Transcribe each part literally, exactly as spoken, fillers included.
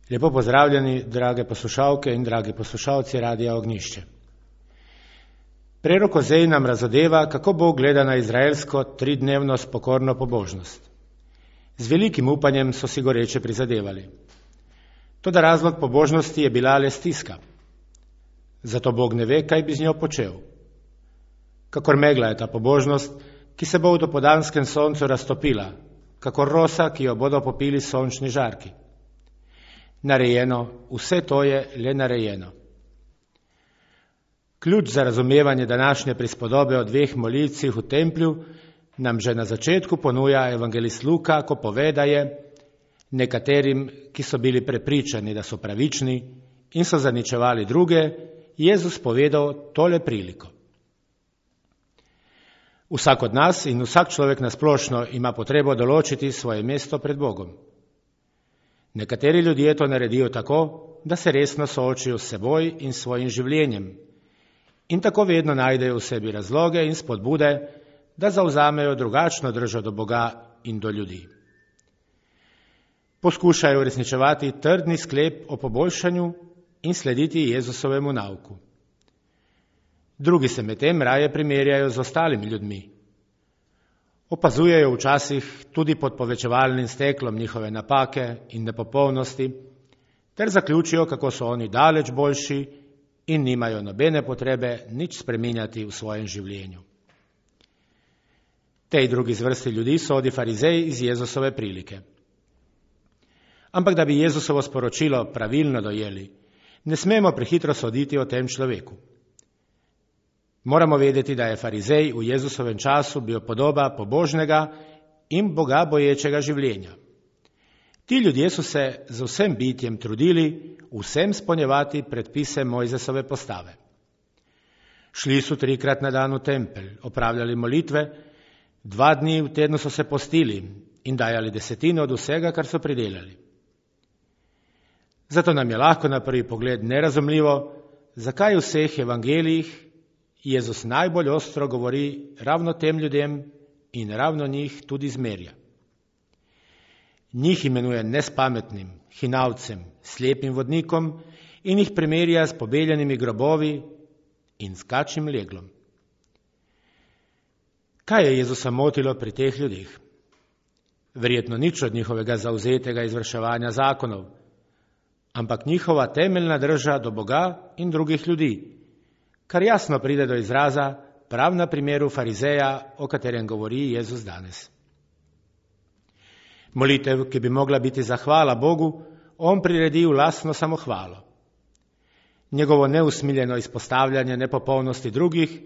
Lepo pozdravljeni, drage poslušalke in dragi poslušalci Radia Ognjišče. Prerok Ozej nam razodeva, kako Bog gleda na izraelsko tridnevno spokorno pobožnost. Z velikim upanjem so si goreče prizadevali. Toda razlog pobožnosti je bila le stiska. Zato Bog ne ve, kaj bi z njo počel. Kakor megla je ta pobožnost, ki se bo v dopoldanskem soncu raztopila, kakor rosa, ki jo bodo popili sončni žarki. Narejeno, vse to je le narejeno. Ključ za razumevanje današnje prispodobe o dveh molilcih v templju nam že na začetku ponuja evangelist Luka, ko pove, da je nekaterim, ki so bili prepričani, da so pravični in so zaničevali druge, Jezus povedal tole priliko. Vsak od nas in vsak človek nasplošno ima potrebo določiti svoje mesto pred Bogom. Nekateri ljudje to naredijo tako, da se resno soočijo s seboj in svojim življenjem in tako vedno najdejo v sebi razloge in spodbude, da zavzamejo drugačno držo do Boga in do ljudi. Poskušajo uresničevati trdni sklep o poboljšanju in slediti Jezusovemu nauku. Drugi se medtem raje primerjajo z ostalimi ljudmi. Opazujejo včasih tudi pod povečevalnim steklom njihove napake in nepopolnosti, ter zaključijo, kako so oni daleč boljši in nimajo nobene potrebe nič spreminjati v svojem življenju. Tej drugi zvrsti ljudi sodi farizej iz Jezusove prilike. Ampak da bi Jezusovo sporočilo pravilno dojeli, ne smemo prehitro soditi o tem človeku. Moramo vedeti, da je farizej v Jezusovem času bil podoba pobožnega in Boga boječega življenja. Ti ljudje so se z vsem bitjem trudili vsem spolnjevati predpise Mojzesove postave. Šli so trikrat na dan v tempelj, opravljali molitve, dva dni v tednu so se postili in dajali desetino od vsega, kar so pridelali. Zato nam je lahko na prvi pogled nerazumljivo, zakaj v vseh evangelijih Jezus najbolj ostro govori ravno tem ljudem in ravno njih tudi zmerja. Njih imenuje nespametnim, hinavcem, slepim vodnikom in jih primerja s pobeljenimi grobovi in s kačjim leglom. Kaj je Jezusa motilo pri teh ljudeh? Verjetno nič od njihovega zavzetega izvrševanja zakonov, ampak njihova temeljna drža do Boga in drugih ljudi, kar jasno pride do izraza prav na primeru farizeja, o katerem govori Jezus danes. Molitev, ki bi mogla biti zahvala Bogu, on priredi v lastno samohvalo. Njegovo neusmiljeno izpostavljanje nepopolnosti drugih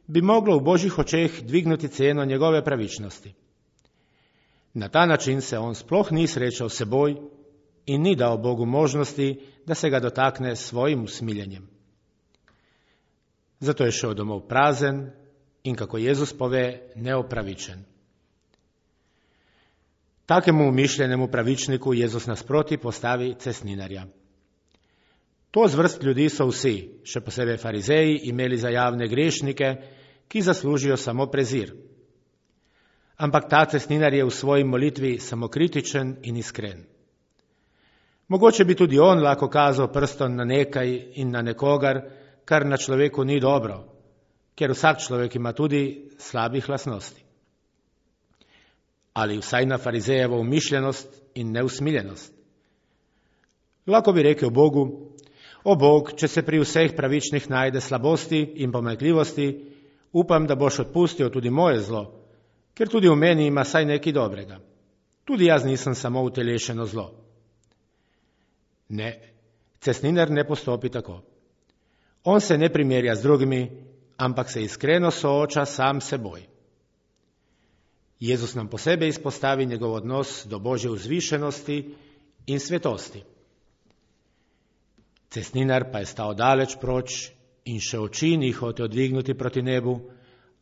bi moglo v Božjih očeh dvignuti ceno njegove pravičnosti. Na ta način se on sploh ni srečal s seboj in ni dal Bogu možnosti, da se ga dotakne s svojim usmiljenjem. Zato je šel domov prazen in, kako Jezus pove, neopravičen. Takemu umišljenemu pravičniku Jezus nasproti postavi cestninarja. To zvrst ljudi so vsi, še posebej farizeji, imeli za javne grešnike, ki zaslužijo samo prezir. Ampak ta cestninar je v svoji molitvi samokritičen in iskren. Mogoče bi tudi on lahko kazal prstom na nekaj in na nekogar, kar na človeku ni dobro, ker vsak človek ima tudi slabih lastnosti. Ali vsaj na farizejevo umišljenost in neusmiljenost. Lahko bi rekel Bogu: o Bog, če se pri vseh pravičnih najde slabosti in pomanjkljivosti, upam, da boš odpustil tudi moje zlo, ker tudi v meni ima saj nekaj dobrega. Tudi jaz nisem samo utelešeno zlo. Ne, cestninar ne postopi tako. On se ne primerja z drugimi, ampak se iskreno sooča sam seboj. Jezus nam posebej izpostavi njegov odnos do Božje vzvišenosti in svetosti. Cestninar pa je stal daleč proč in še oči ni hotel dvignuti proti nebu,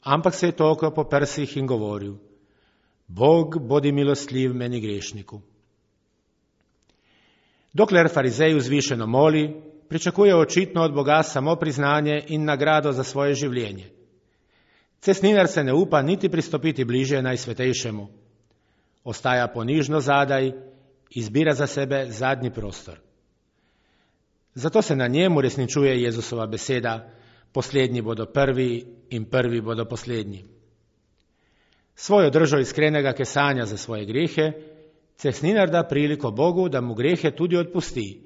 ampak se je tolkal po prsih in govoril: Bog, bodi milostljiv meni grešniku. Dokler farizej vzvišeno moli, pričakuje očitno od Boga samo priznanje in nagrado za svoje življenje. Cestninar se ne upa niti pristopiti bliže Najsvetejšemu. Ostaja ponižno zadaj, izbira za sebe zadnji prostor. Zato se na njem uresničuje Jezusova beseda: poslednji bodo prvi in prvi bodo poslednji. Svojo držo iskrenega kesanja za svoje grehe cestninar da priliko Bogu, da mu grehe tudi odpusti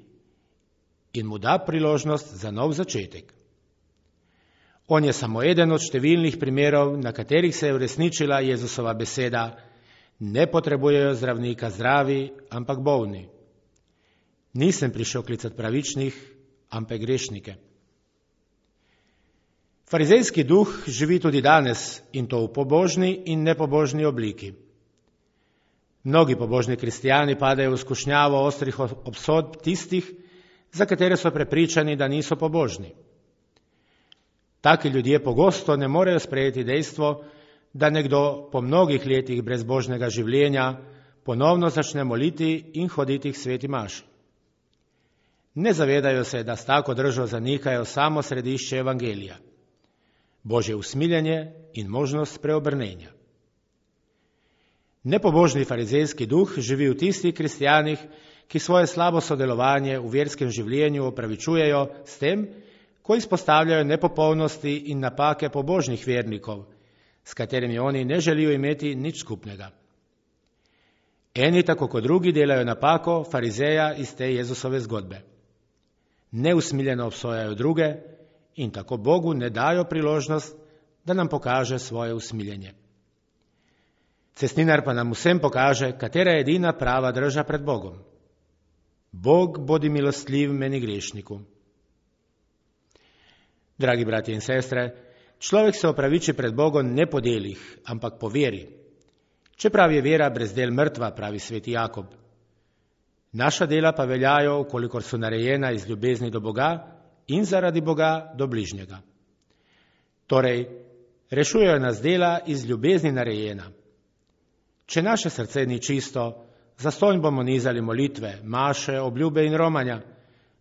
in mu da priložnost za nov začetek. On je samo eden od številnih primerov, na katerih se je uresničila Jezusova beseda: ne potrebujejo zdravnika zdravi, ampak bolni. Nisem prišel klicati pravičnih, ampak grešnike. Farizejski duh živi tudi danes, in to v pobožni in nepobožni obliki. Mnogi pobožni kristijani padajo v skušnjavo ostrih obsodb tistih, za katere so prepričani, da niso pobožni. Taki ljudje pogosto ne morejo sprejeti dejstvo, da nekdo po mnogih letih brezbožnega življenja ponovno začne moliti in hoditi k sveti maši. Ne zavedajo se, da s tako držo zanikajo samo središče evangelija, Božje usmiljenje in možnost preobrnenja. Nepobožni farizejski duh živi v tistih kristijanih, ki svoje slabo sodelovanje v verskem življenju opravičujejo s tem, ko izpostavljajo nepopolnosti in napake pobožnih vernikov, s katerimi oni ne želijo imeti nič skupnega. Eni tako kot drugi delajo napako farizeja iz te Jezusove zgodbe. Neusmiljeno obsojajo druge in tako Bogu ne dajo priložnost, da nam pokaže svoje usmiljenje. Cestninar pa nam vsem pokaže, katera je edina prava drža pred Bogom. Bog bodi milostljiv meni grešniku. Dragi bratje in sestre, človek se opraviči pred Bogom ne po delih, ampak po veri. Čeprav je vera brez del mrtva, pravi sveti Jakob. Naša dela pa veljajo, kolikor so narejena iz ljubezni do Boga in zaradi Boga do bližnjega. Torej, rešujejo nas dela iz ljubezni narejena. Če naše srce ni čisto, zastonj bomo nizali molitve, maše, obljube in romanja,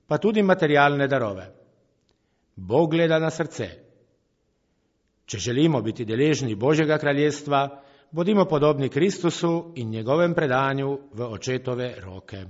pa tudi materialne darove. Bog gleda na srce. Če želimo biti deležni Božjega kraljestva, bodimo podobni Kristusu in njegovem predanju v očetove roke.